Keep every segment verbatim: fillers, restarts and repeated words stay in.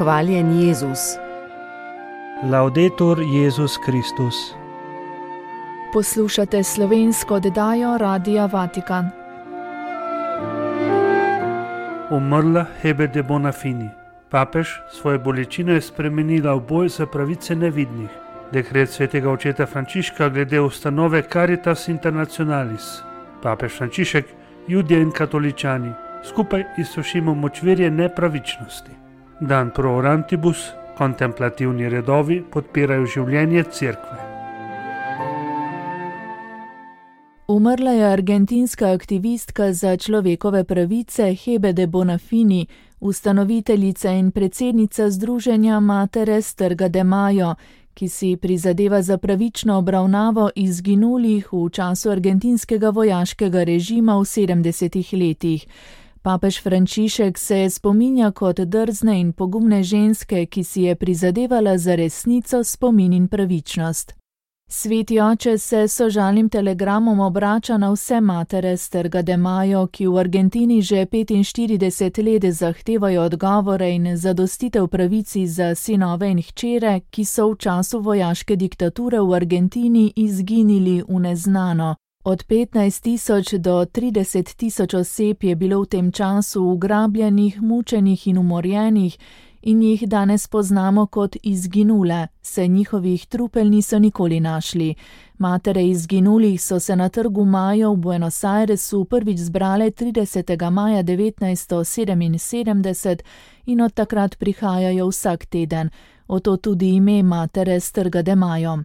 Hvaljen Jezus. Laudetur Jezus Kristus. Poslušate slovensko oddajo Radia Vatikan. Umrla Hebe de Bonafini. Papež svoje bolečine je spremenila v boj za pravice nevidnih. Dekret svetega očeta Frančiška glede ustanove Caritas Internationalis. Papež Frančišek, Judje in katoličani, skupaj izsušimo močvirje nepravičnosti. Dan pro orantibus, kontemplativni redovi podpirajo življenje cerkve. Umrla je argentinska aktivistka za človekove pravice Hebe de Bonafini, ustanoviteljica in predsednica združenja Materes Trga de Mayo, ki si prizadeva za pravično obravnavo izginulih v času argentinskega vojaškega režima v sedemdesetih letih. Papež Frančišek se je spominja kot drzne in pogumne ženske, ki si je prizadevala za resnico, spomin in pravičnost. Sveti oče se s sožalnim telegramom obrača na vse matere s Trga de Mayo, ki v Argentini že petinštirideset let zahtevajo odgovore in zadostitev pravici za sinove in hčere, ki so v času vojaške diktature v Argentini izginili v neznano. Od petnajst tisoč do trideset tisoč oseb je bilo v tem času ugrabljenih, mučenih in umorjenih in jih danes poznamo kot izginule, saj njihovih trupel niso nikoli našli. Matere izginulih so se na Trgu Mayo v Buenos Airesu prvič zbrale tridesetega maja devetnajststo sedeminsedemdeset in od takrat prihajajo vsak teden, oto tudi ime Materes Trga de Mayo.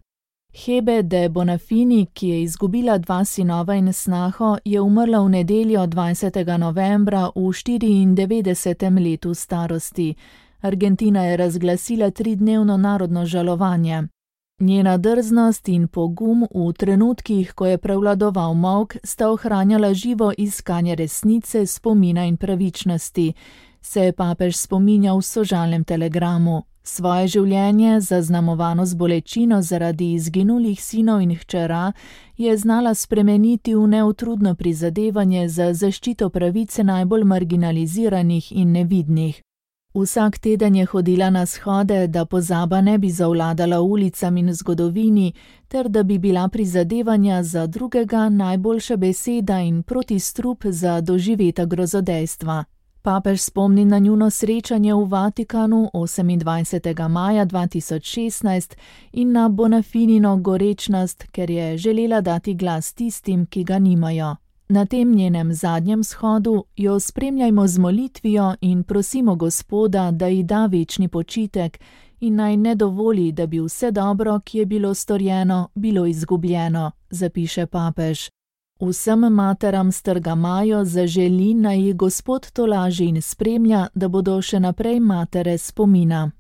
Hebe de Bonafini, ki je izgubila dva sinova in snaho, je umrla v nedeljo dvajsetega novembra v štiriindevetdesetem letu starosti. Argentina je razglasila tridnevno narodno žalovanje. Njena drznost in pogum v trenutkih, ko je prevladoval molk, sta ohranjala živo iskanje resnice, spomina in pravičnosti, se je papež spominjal v sožalnem telegramu. Svoje življenje, zaznamovano z bolečino zaradi izginulih sinov in hčera, je znala spremeniti v neutrudno prizadevanje za zaščito pravice najbolj marginaliziranih in nevidnih. Vsak teden je hodila na shode, da pozaba ne bi zavladala ulicam in zgodovini, ter da bi bila prizadevanja za drugega najboljša beseda in protistrup za doživeta grozodejstva. Papež spomni na njuno srečanje v Vatikanu osemindvajsetega maja dva tisoč šestnajst in na Bonafinino gorečnost, ker je želela dati glas tistim, ki ga nimajo. Na tem njenem zadnjem shodu jo spremljajmo z molitvijo in prosimo Gospoda, da ji da večni počitek in naj ne dovoli, da bi vse dobro, ki je bilo storjeno, bilo izgubljeno, zapiše papež. Vsem materam s Trga Mayo zaželi, naj jih Gospod tolaži in spremlja, da bodo še naprej matere spomina.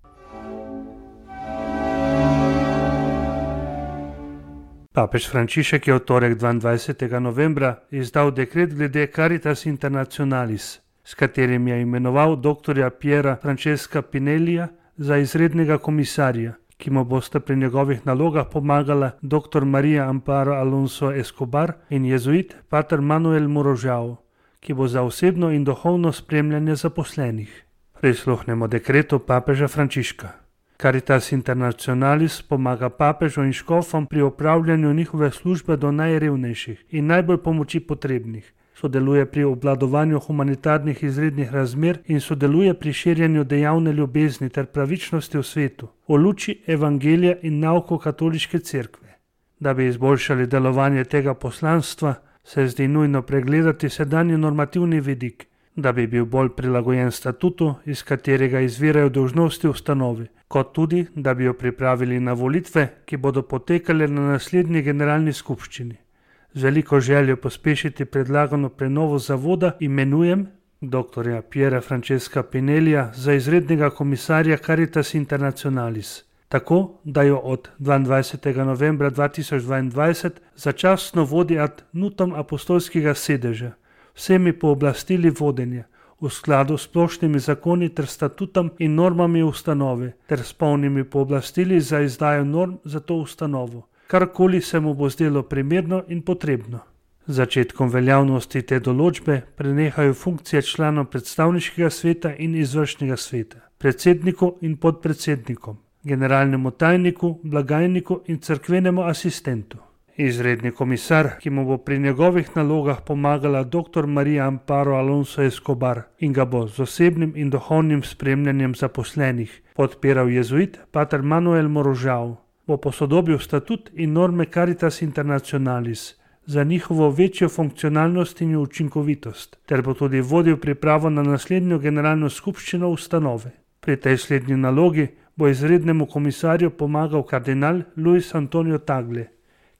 Papež Frančišek je v torek dvaindvajsetega novembra izdal dekret glede Caritas Internationalis, s katerim je imenoval doktorja Piera Francesca Pinellija za izrednega komisarja, ki mu bosta pri njegovih nalogah pomagala dr. Maria Amparo Alonso Escobar in jezuit pater Manuel Morojao, ki bo za osebno in duhovno spremljanje zaposlenih. Prisluhnemo dekretu papeža Frančiška. Caritas Internationalis pomaga papežu in škofom pri opravljanju njihove službe do najrevnejših in najbolj pomoči potrebnih. Sodeluje pri obvladovanju humanitarnih izrednih razmer in sodeluje pri širjenju dejavne ljubezni ter pravičnosti v svetu, v luči evangelija in nauko katoliške cerkve. Da bi izboljšali delovanje tega poslanstva, se zdi nujno pregledati sedanji normativni vidik, da bi bil bolj prilagojen statutu, iz katerega izvirajo dolžnosti ustanove, kot tudi, da bi jo pripravili na volitve, ki bodo potekale na naslednji generalni skupščini. Z veliko željo pospešiti predlagano prenovo zavoda imenujem dr. Piera Francesca Pinellija za izrednega komisarja Caritas Internationalis, tako da jo od dvaindvajsetega novembra dva tisoč dvaindvajset začasno vodi ad nutum apostolskega sedeža, vsemi pooblastili vodenja, v skladu s splošnimi zakoni ter statutom in normami ustanove, ter s polnimi pooblastili za izdajo norm za to ustanovo, karkoli se mu bo zdelo primerno in potrebno. Z začetkom veljavnosti te določbe prenehajo funkcije članov predstavniškega sveta in izvršnega sveta. predsedniku in podpredsednikom, generalnemu tajniku, blagajniku in cerkvenemu asistentu. Izredni komisar, ki mu bo pri njegovih nalogah pomagala dr. Maria Amparo Alonso Escobar in ga bo z osebnim in duhovnim spremljanjem zaposlenih podpiral jezuit pater Manuel Morožav, bo posodobil statut in norme Caritas Internationalis za njihovo večjo funkcionalnost in učinkovitost, ter bo tudi vodil pripravo na naslednjo generalno skupščino ustanove. Pri tej slednji nalogi bo izrednemu komisarju pomagal kardinal Luis Antonio Tagle,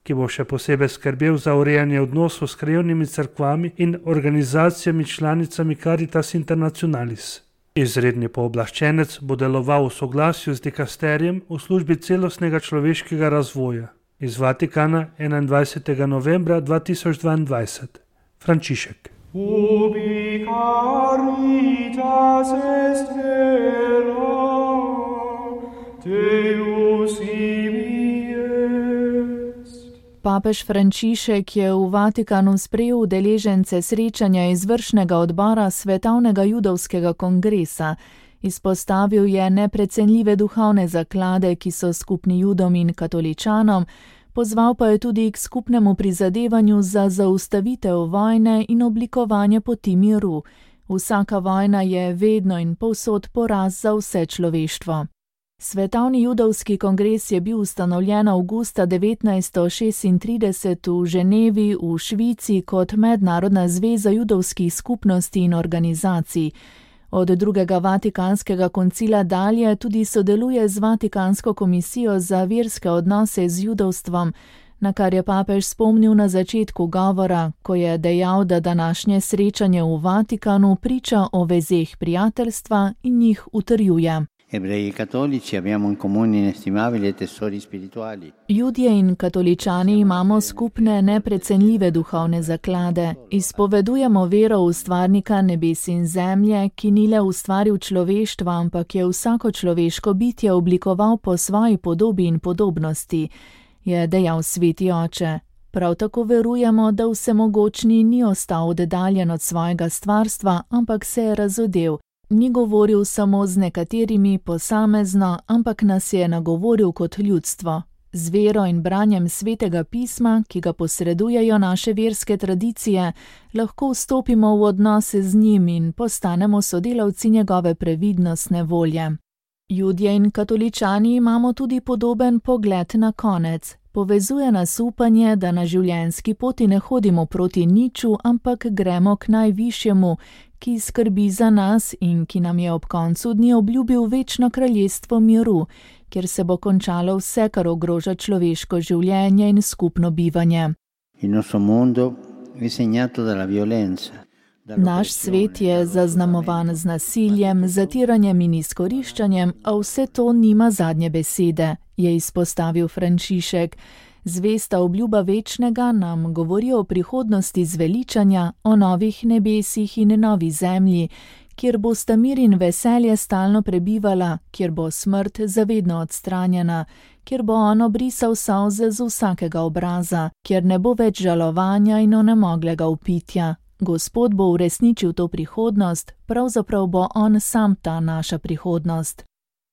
ki bo še posebej skrbel za urejanje odnosov s krajevnimi cerkvami in organizacijami članicami Caritas Internationalis. Izredni pooblaščenec bo deloval v soglasju z dikasterijem v službi celostnega človeškega razvoja. Iz Vatikana enaindvajsetega novembra dva tisoč dvaindvajset. Frančišek. Ubi caritas est vera, Deus ibi est. Papež Frančišek je v Vatikanu sprejel udeležence srečanja izvršnega odbora Svetovnega judovskega kongresa. Izpostavil je neprecenljive duhovne zaklade, ki so skupni Judom in katoličanom, pozval pa je tudi k skupnemu prizadevanju za zaustavitev vojne in oblikovanje poti miru. Vsaka vojna je vedno in povsod poraz za vse človeštvo. Svetovni judovski kongres je bil ustanovljen avgusta devetnajststo šestintrideset v Ženevi v Švici kot mednarodna zveza judovskih skupnosti in organizacij. Od drugega Vatikanskega koncila dalje tudi sodeluje z Vatikansko komisijo za verske odnose z judovstvom, na kar je papež spomnil na začetku govora, ko je dejal, da današnje srečanje v Vatikanu priča o vezeh prijateljstva in njih utrjuje. Ebrei cattolici abbiamo in comune inestimabili tesori spirituali. Judje in katoličani imamo skupne neprecenljive duhovne zaklade. Izpovedujemo vero ustvarnika nebes in zemlje, ki ni le ustvaril človeštva, ampak je vsako človeško bitje oblikoval po svoji podobi in podobnosti, je dejal sveti oče. Prav tako verujemo, da vsemogočni ni ostal oddaljen od svojega stvarstva, ampak se je razodel. Ni govoril samo z nekaterimi posamezno, ampak nas je nagovoril kot ljudstvo. Z vero in branjem svetega pisma, ki ga posredujejo naše verske tradicije, lahko vstopimo v odnose z njim in postanemo sodelavci njegove previdnostne volje. Judje in katoličani imamo tudi podoben pogled na konec. Povezuje nas upanje, da na življenjski poti ne hodimo proti niču, ampak gremo k najvišjemu, ki skrbi za nas in ki nam je ob koncu dni obljubil večno kraljestvo miru, kjer se bo končalo vse, kar ogroža človeško življenje in skupno bivanje. Naš svet je zaznamovan z nasiljem, zatiranjem in izkoriščanjem, a vse to nima zadnje besede, je izpostavil Frančišek. Zvesta obljuba večnega nam govori o prihodnosti zveličanja, o novih nebesih in novi zemlji, kjer bo sta mir in veselje stalno prebivala, kjer bo smrt zavedno odstranjena, kjer bo on obrisal solze z vsakega obraza, kjer ne bo več žalovanja in onemoglega upitja. Gospod bo uresničil to prihodnost, pravzaprav bo on sam ta naša prihodnost.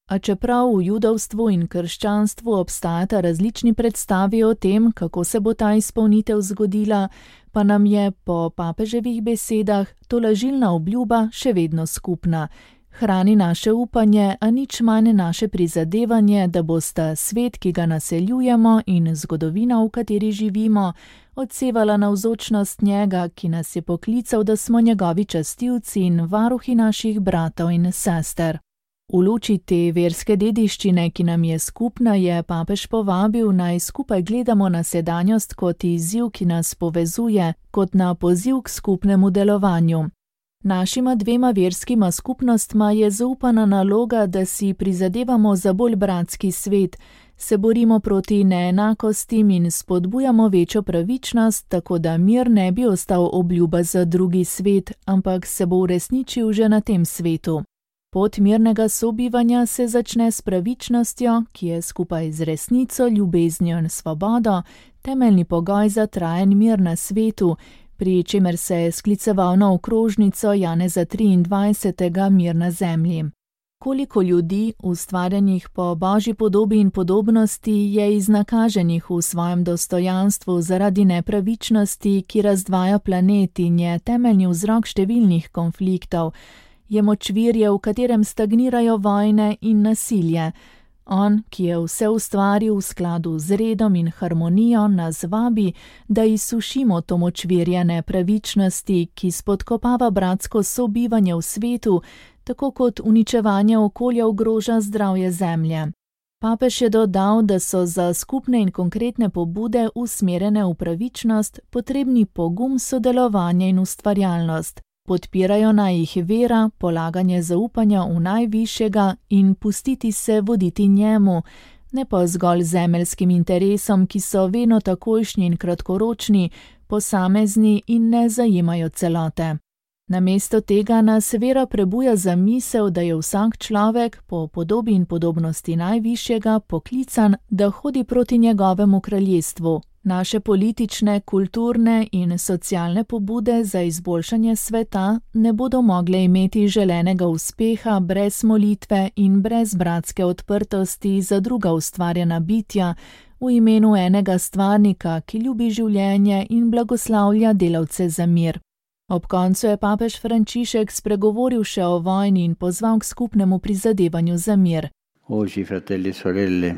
A čeprav v judovstvu in krščanstvu obstajata različni predstavi o tem, kako se bo ta izpolnitev zgodila, pa nam je po papeževih besedah tolažilna obljuba še vedno skupna. Hrani naše upanje, a nič manj naše prizadevanje, da bosta svet, ki ga naseljujemo, in zgodovina, v kateri živimo, odsevala navzočnost njega, ki nas je poklical, da smo njegovi častilci in varuhi naših bratov in sester. V luči te verske dediščine, ki nam je skupna, je papež povabil, naj skupaj gledamo na sedanjost kot izziv, ki nas povezuje, kot na poziv k skupnemu delovanju. Našima dvema verskima skupnostma je zaupana naloga, da si prizadevamo za bolj bratski svet, se borimo proti neenakostim in spodbujamo večjo pravičnost, tako da mir ne bi ostal obljuba za drugi svet, ampak se bo uresničil že na tem svetu. Pot mirnega sobivanja se začne s pravičnostjo, ki je skupaj z resnico, ljubeznijo in svobodo temeljni pogoj za trajen mir na svetu, pri čemer se je skliceval na okrožnico Janeza triindvajsetega Mir na zemlji. koliko ljudi, ustvarjenih po Božji podobi in podobnosti, je iznakaženih v svojem dostojanstvu zaradi nepravičnosti, ki razdvaja planet in je temeljni vzrok številnih konfliktov, je močvirje, v katerem stagnirajo vojne in nasilje. On, ki je vse ustvaril v skladu z redom in harmonijo, nas vabi, da izsušimo to močvirje nepravičnosti, ki spodkopava bratsko sobivanje v svetu, tako kot uničevanje okolja ogroža zdravje zemlje. Papež je dodal, da so za skupne in konkretne pobude usmerjene v pravičnost potrebni pogum, sodelovanje in ustvarjalnost. Podpirajo naj jih vera, polaganje zaupanja v najvišjega in pustiti se voditi njemu, ne pa zgolj zemeljskim interesom, ki so vedno takojšnji in kratkoročni, posamezni in ne zajemajo celote. Namesto tega nas vera prebuja za misel, da je vsak človek po podobi in podobnosti najvišjega poklican, da hodi proti njegovemu kraljestvu. Naše politične, kulturne in socialne pobude za izboljšanje sveta ne bodo mogle imeti želenega uspeha brez molitve in brez bratske odprtosti za druga ustvarjena bitja v imenu enega stvarnika, ki ljubi življenje in blagoslavlja delavce za mir. Ob koncu je papež Frančišek spregovoril še o vojni in pozval k skupnemu prizadevanju za mir. Oggi, fratelli e sorelle,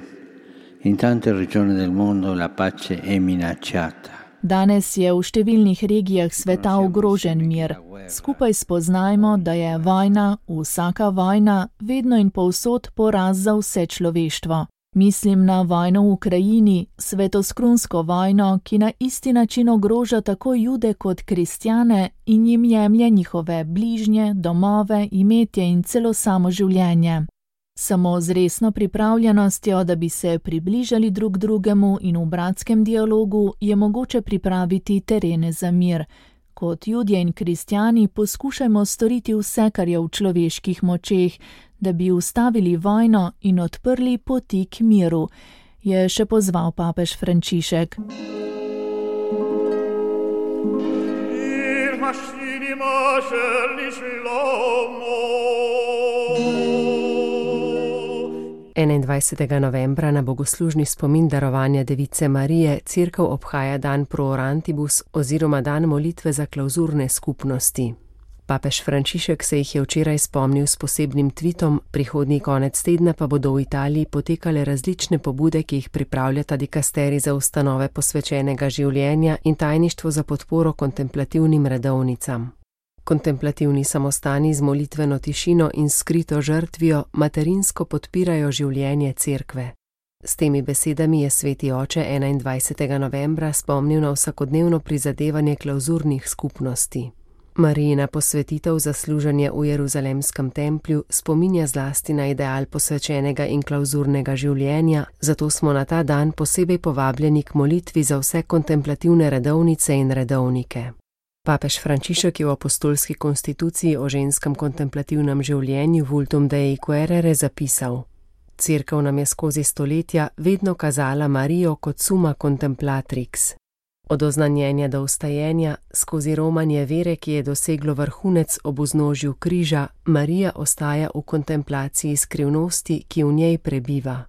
in tante regioni del mondo la pace è minacciata. Danes je v številnih regijah sveta ogrožen mir. Skupaj spoznajmo, da je vojna, vsaka vojna, vedno in povsod poraz za vse človeštvo. Mislim na vojno v Ukrajini, svetoskrunsko vojno, ki na isti način ogroža tako Jude kot kristjane in jim jemlje njihove bližnje, domove, imetje in celo samo življenje. Samo z resno pripravljenostjo, da bi se približali drug drugemu in v bratskem dialogu, je mogoče pripraviti terene za mir. Kot Judje in kristjani poskušajmo storiti vse, kar je v človeških močeh, da bi ustavili vojno in odprli poti k miru, je še pozval papež Frančišek. enaindvajsetega novembra na bogoslužni spomin darovanja Device Marije cerkev obhaja dan Pro Orantibus oziroma dan molitve za klauzurne skupnosti. Papež Frančišek se jih je včeraj spomnil s posebnim tvitom, prihodnji konec tedna pa bodo v Italiji potekale različne pobude, ki jih pripravljata dikasteri za ustanove posvečenega življenja in tajništvo za podporo kontemplativnim redovnicam. Kontemplativni samostani z molitveno tišino in skrito žrtvijo materinsko podpirajo življenje cerkve. S temi besedami je sveti oče enaindvajsetega novembra spomnil na vsakodnevno prizadevanje klauzurnih skupnosti. Marijina posvetitev za služenje v Jeruzalemskem templju spominja zlasti na ideal posvečenega in klauzurnega življenja, zato smo na ta dan posebej povabljeni k molitvi za vse kontemplativne redovnice in redovnike. Papež Frančišek je v apostolski konstituciji o ženskem kontemplativnem življenju Vultum Dei Quaerere zapisal: Cerkev nam je skozi stoletja vedno kazala Marijo kot summa contemplatrix. Od oznanjenja do vstajenja, skozi romanje vere, ki je doseglo vrhunec ob vznožju križa, Marija ostaja v kontemplaciji skrivnosti, ki v njej prebiva.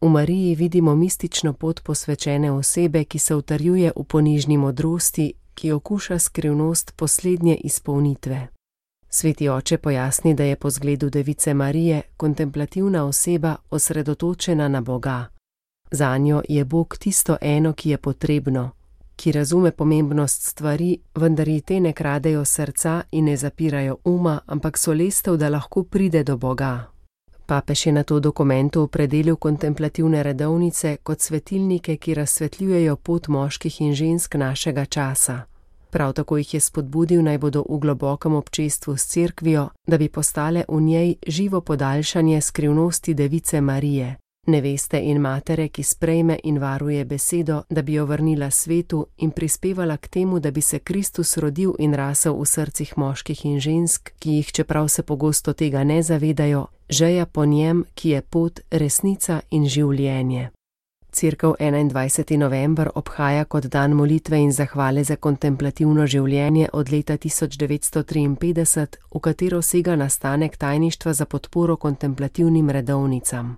V Mariji vidimo mistično pot posvečene osebe, ki se utrjuje v ponižni modrosti, ki okuša skrivnost poslednje izpolnitve. Sveti oče pojasni, da je po zgledu Device Marije kontemplativna oseba osredotočena na Boga. Zanjo je Bog tisto eno, ki je potrebno, ki razume pomembnost stvari, vendar ji te ne kradejo srca in ne zapirajo uma, ampak so lestev, da lahko pride do Boga. Papež je na to dokumentu opredelil kontemplativne redovnice kot svetilnike, ki razsvetljujejo pot moških in žensk našega časa. Prav tako jih je spodbudil, naj bodo v globokem občestvu s cerkvijo, da bi postale v njej živo podaljšanje skrivnosti Device Marije, neveste in matere, ki sprejme in varuje besedo, da bi jo vrnila svetu in prispevala k temu, da bi se Kristus rodil in rasel v srcih moških in žensk, ki jih, čeprav se pogosto tega ne zavedajo, žeja po njem, ki je pot, resnica in življenje. Cerkev enaindvajseti november obhaja kot dan molitve in zahvale za kontemplativno življenje od leta tisoč devetsto triinpetdeset, v katero sega nastanek tajništva za podporo kontemplativnim redovnicam.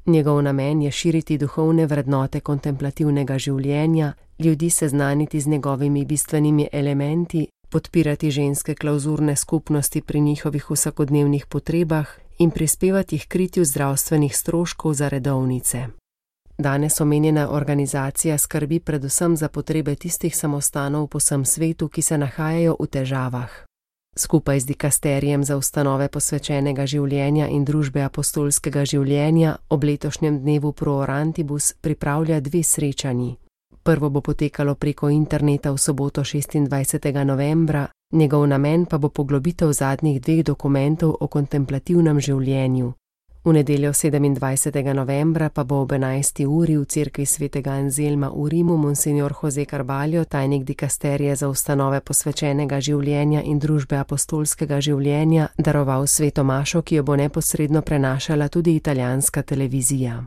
Njegov namen je širiti duhovne vrednote kontemplativnega življenja, ljudi seznaniti z njegovimi bistvenimi elementi, podpirati ženske klauzurne skupnosti pri njihovih vsakodnevnih potrebah in prispevati h kritju zdravstvenih stroškov za redovnice. Danes omenjena organizacija skrbi predvsem za potrebe tistih samostanov po vsem svetu, ki se nahajajo v težavah. Skupaj z dikasterijem za ustanove posvečenega življenja in družbe apostolskega življenja ob letošnjem dnevu Pro Orantibus pripravlja dve srečanji. Prvo bo potekalo preko interneta v soboto šestindvajsetega novembra, njegov namen pa bo poglobitev zadnjih dveh dokumentov o kontemplativnem življenju. V nedeljo sedemindvajsetega novembra pa bo ob enajsti uri v cerkvi svetega Anzelma v Rimu monsignor Jose Carballo, tajnik dikasterije za ustanove posvečenega življenja in družbe apostolskega življenja, daroval sveto mašo, ki jo bo neposredno prenašala tudi italijanska televizija.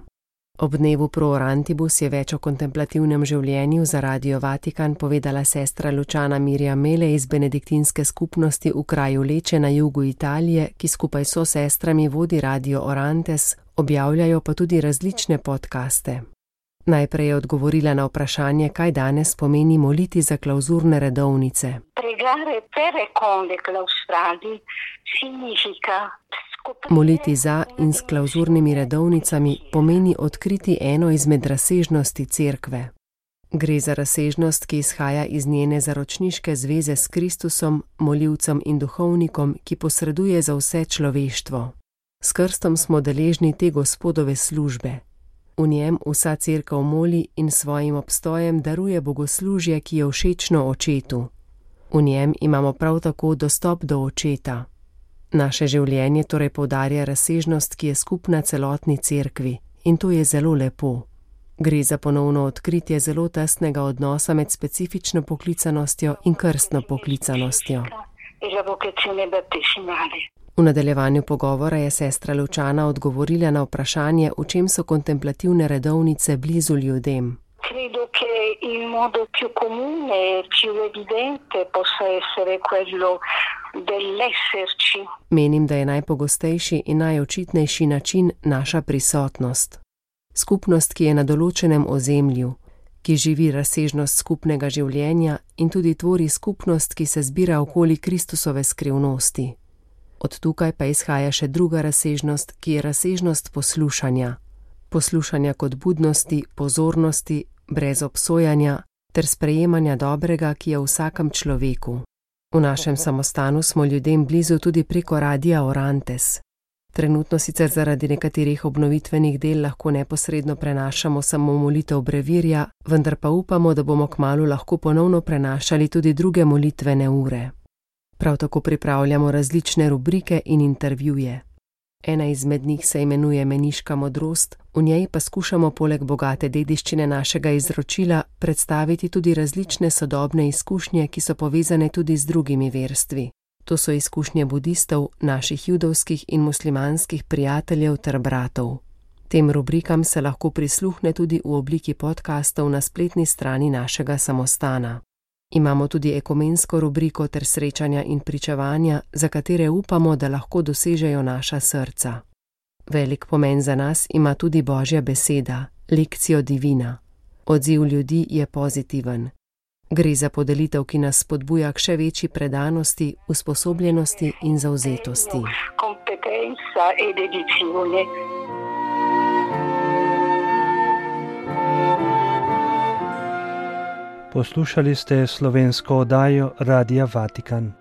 Ob dnevu Pro Orantibus je več o kontemplativnem življenju za Radio Vatikan povedala sestra Lučana Mirja Mele iz benediktinske skupnosti v kraju Leče na jugu Italije, ki skupaj so sestrami vodi Radio Orantes, objavljajo pa tudi različne podcaste. Najprej je odgovorila na vprašanje, kaj danes pomeni moliti za klauzurne redovnice. Pregare per e con le claustrali significa Moliti za in s klauzurnimi redovnicami pomeni odkriti eno izmed razsežnosti cerkve. Gre za razsežnost, ki izhaja iz njene zaročniške zveze s Kristusom, molivcem in duhovnikom, ki posreduje za vse človeštvo. S krstom smo deležni te Gospodove službe. V njem vsa cerkev moli in svojim obstojem daruje bogoslužje, ki je všečno očetu. V njem imamo prav tako dostop do očeta. Naše življenje torej poudarja razsežnost, ki je skupna celotni cerkvi, in to je zelo lepo. Gre za ponovno odkritje zelo tesnega odnosa med specifično poklicanostjo in krstno poklicanostjo. V nadaljevanju pogovora je sestra Lučana odgovorila na vprašanje, v čem so kontemplativne redovnice blizu ljudem. Credo che il modo più comune e più evidente possa essere quello dell'esserci. Menim, da je najpogostejši in najočitnejši način naša prisotnost. Skupnost, ki je na določenem ozemlju, ki živi razsežnost skupnega življenja in tudi tvori skupnost, ki se zbira okoli Kristusove skrivnosti. Od tukaj pa izhaja še druga razsežnost, ki je razsežnost poslušanja. Poslušanja kot budnosti, pozornosti, brez obsojanja ter sprejemanja dobrega, ki je v vsakem človeku. V našem samostanu smo ljudem blizu tudi preko Radia Orantes. Trenutno sicer zaradi nekaterih obnovitvenih del lahko neposredno prenašamo samo molitev brevirja, vendar pa upamo, da bomo kmalu lahko ponovno prenašali tudi druge molitvene ure. Prav tako pripravljamo različne rubrike in intervjuje. Ena izmed njih se imenuje Meniška modrost, v njej pa skušamo poleg bogate dediščine našega izročila predstaviti tudi različne sodobne izkušnje, ki so povezane tudi z drugimi verstvi. To so izkušnje budistov, naših judovskih in muslimanskih prijateljev ter bratov. Tem rubrikam se lahko prisluhne tudi v obliki podkastov na spletni strani našega samostana. Imamo tudi ekumensko rubriko ter srečanja in pričevanja, za katere upamo, da lahko dosežejo naša srca. Velik pomen za nas ima tudi Božja beseda, Lectio Divina. Odziv ljudi je pozitiven. Gre za podelitev, ki nas spodbuja k še večji predanosti, usposobljenosti in zavzetosti. Competenza e dedizione. Poslušali ste slovensko oddajo Radia Vatikan.